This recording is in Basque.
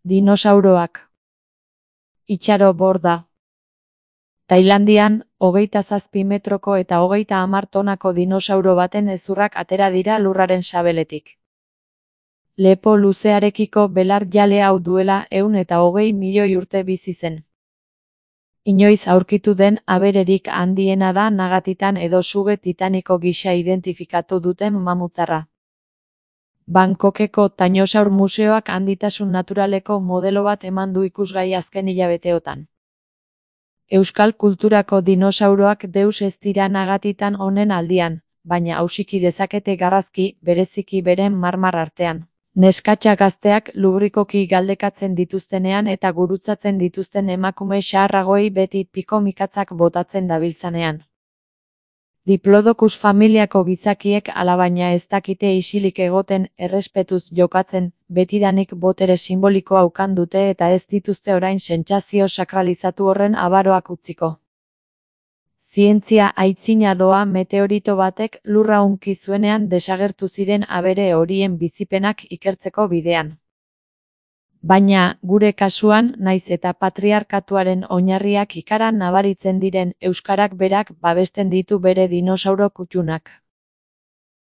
Dinosauroak. Itxaro borda. Tailandian, 27 metroko eta 30 tonako dinosauro baten hezurrak atera dira lurraren sabeletik. Lepo luzearekiko belar jale hau duela 120 milioi urte bizi zen. Inoiz aurkitu den abererik handiena da Nagatitan edo suge titaniko gisa identifikatu duten mamutzarra. Bangkokeko Tainosaur Museoak handitasun naturaleko modelo bat eman du ikusgai azken hilabeteotan. Euskal kulturako dinosauroak deus ez dira Nagatitan honen aldian, baina hausiki dezakete garrazki, bereziki beren marmar artean. Neskatxa gazteak lubrikoki galdekatzen dituztenean eta gurutzatzen dituzten emakume xaharragoei beti piko-mikatzak botatzen dabiltzanean. Diplodocus familiako gizakiek alabaina ez dakite isilik egoten, errespetuz jokatzen, betidanik botere simbolikoa ukan dute eta ez dituzte orain sentsazio sakralizatu horren abaroak utziko. Zientzia aitzina doa meteorito batek lurra hunki zuenean desagertu ziren abere horien bizipenak ikertzeko bidean. Baina, gure kasuan, naiz eta patriarkatuaren oinarriak ikaran nabaritzen diren euskarak berak babesten ditu bere dinosauro kuttunak.